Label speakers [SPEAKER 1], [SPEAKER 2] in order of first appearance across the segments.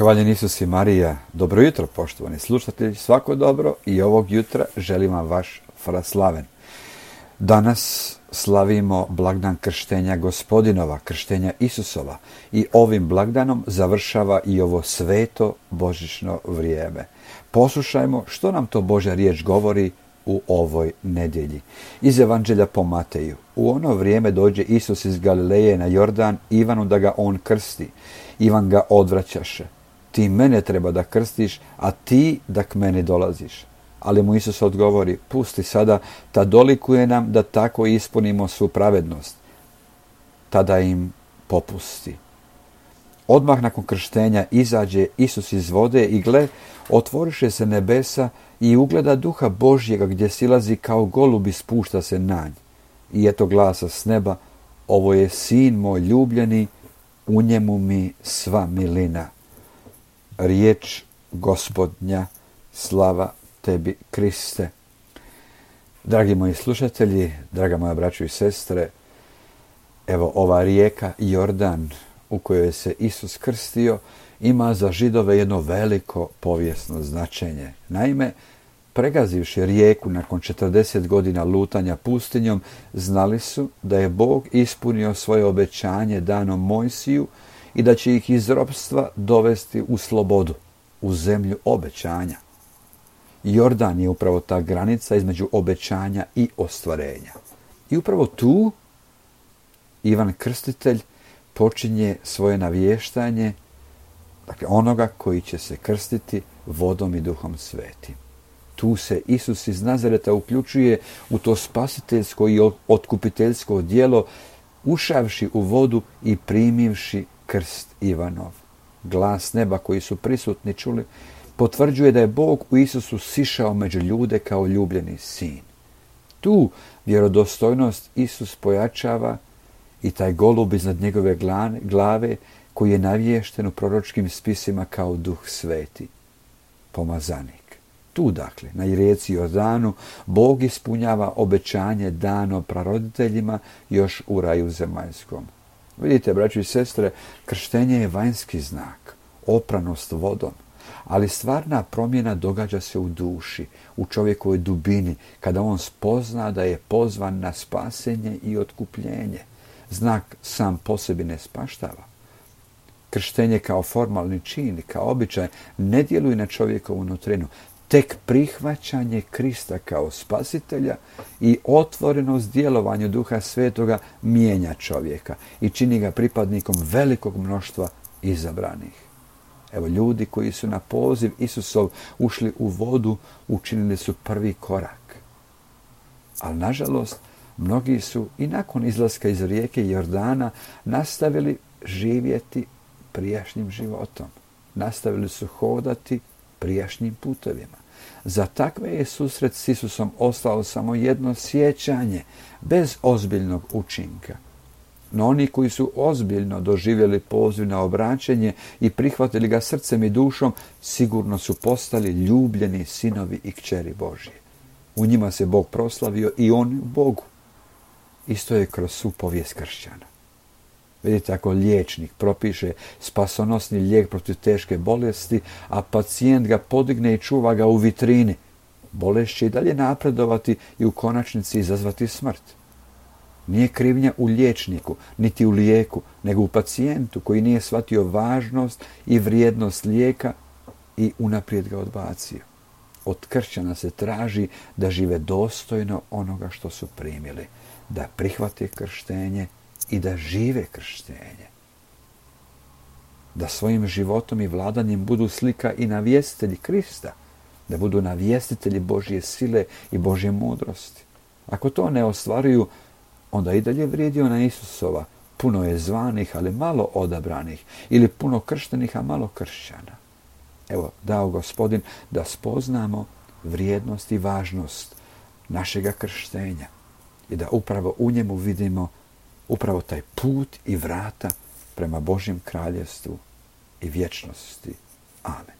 [SPEAKER 1] Hvaljen Isus i Marija. Dobro jutro, poštovani slušatelji, svako dobro i ovog jutra želim vam vaš fraslaven. Danas slavimo blagdan krštenja Gospodinova, krštenja Isusova i ovim blagdanom završava i ovo sveto božićno vrijeme. Poslušajmo što nam to Božja riječ govori u ovoj nedjelji. Iz Evanđelja po Mateju. U ono vrijeme dođe Isus iz Galileje na Jordan Ivanu da ga on krsti. Ivan ga odvraćaše. Ti mene treba da krstiš, a ti da k meni dolaziš. Ali mu Isus odgovori, pusti sada, ta dolikuje nam da tako ispunimo svu pravednost. Tada im popusti. Odmah nakon krštenja izađe Isus iz vode i gle, otvoriše se nebesa i ugleda Duha Božjega gdje silazi kao golub i spušta se na nj. I eto glasa s neba, ovo je sin moj ljubljeni, u njemu mi sva milina. Riječ Gospodnja, slava tebi Kriste. Dragi moji slušatelji, draga moja braćo i sestre, evo ova rijeka Jordan u kojoj se Isus krstio ima za Židove jedno veliko povijesno značenje. Naime, pregazivši rijeku nakon 40 godina lutanja pustinjom, znali su da je Bog ispunio svoje obećanje dano Mojsiju i da će ih iz ropstva dovesti u slobodu, u zemlju obećanja. Jordan je upravo ta granica između obećanja i ostvarenja. I upravo tu Ivan Krstitelj počinje svoje navještanje, dakle onoga koji će se krstiti vodom i Duhom Svetim. Tu se Isus iz Nazareta uključuje u to spasiteljsko i otkupiteljsko djelo, ušavši u vodu i primivši krst Ivanov. Glas neba koji su prisutni čuli potvrđuje da je Bog u Isusu sišao među ljude kao ljubljeni sin. Tu vjerodostojnost Isus pojačava i taj golub iznad njegove glave koji je navješten u proročkim spisima kao Duh Sveti, pomazanik. Tu, dakle, na rijeci Jordanu, Bog ispunjava obećanje dano praroditeljima još u raju zemaljskom. Vidite, braćo i sestre, krštenje je vanjski znak, opranost vodom, ali stvarna promjena događa se u duši, u čovjekovoj dubini, kada on spozna da je pozvan na spasenje i otkupljenje. Znak sam po sebi ne spaštava. Krštenje kao formalni čin, kao običaj, ne djeluje na čovjekovu nutrinu. Tek prihvaćanje Krista kao spasitelja i otvorenost djelovanju Duha Svetoga mijenja čovjeka i čini ga pripadnikom velikog mnoštva izabranih. Evo, ljudi koji su na poziv Isusov ušli u vodu, učinili su prvi korak. Ali, nažalost, mnogi su i nakon izlaska iz rijeke Jordana nastavili živjeti prijašnjim životom. Nastavili su hodati prijašnjim putovima. Za takve je susret s Isusom ostalo samo jedno sjećanje, bez ozbiljnog učinka. No oni koji su ozbiljno doživjeli poziv na obraćenje i prihvatili ga srcem i dušom, sigurno su postali ljubljeni sinovi i kćeri Božje. U njima se Bog proslavio i on u Bogu. Isto je kroz svu povijest kršćana. Vidite, ako liječnik propiše spasonosni lijek protiv teške bolesti, a pacijent ga podigne i čuva ga u vitrini, bolest će i dalje napredovati i u konačnici izazvati smrt. Nije krivnja u liječniku, niti u lijeku, nego u pacijentu koji nije shvatio važnost i vrijednost lijeka i unaprijed ga odbacio. Od kršćana se traži da žive dostojno onoga što su primili, da prihvate krštenje i da žive krštenje. Da svojim životom i vladanjem budu slika i navjestitelji Krista, da budu navjestitelji Božje sile i Božje mudrosti. Ako to ne ostvaruju, onda i dalje vrijedi ona Isusova, puno je zvanih, ali malo odabranih, ili puno krštenih, a malo kršćana. Evo, dao Gospodin da spoznamo vrijednost i važnost našega krštenja i da upravo u njemu vidimo upravo taj put i vrata prema Božjem kraljevstvu i vječnosti. Amen.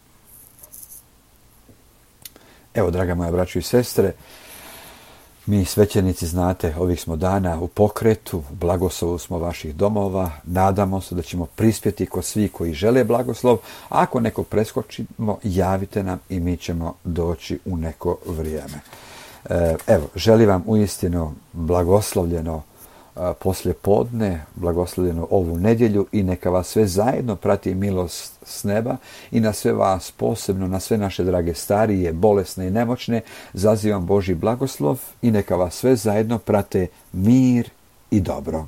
[SPEAKER 1] Evo, draga moja braćo i sestre, Mi svećenici, znate, ovih smo dana u pokretu, u blagoslovu smo vaših domova, nadamo se da ćemo prispjeti kod svi koji žele blagoslov, a ako neko preskočimo, javite nam i mi ćemo doći u neko vrijeme. Evo, želim vam uistinu blagoslovljeno poslijepodne, blagoslovljeno ovu nedjelju i neka vas sve zajedno prati milost s neba i na sve vas, posebno na sve naše drage starije, bolesne i nemoćne, zazivam Božji blagoslov i neka vas sve zajedno prate mir i dobro.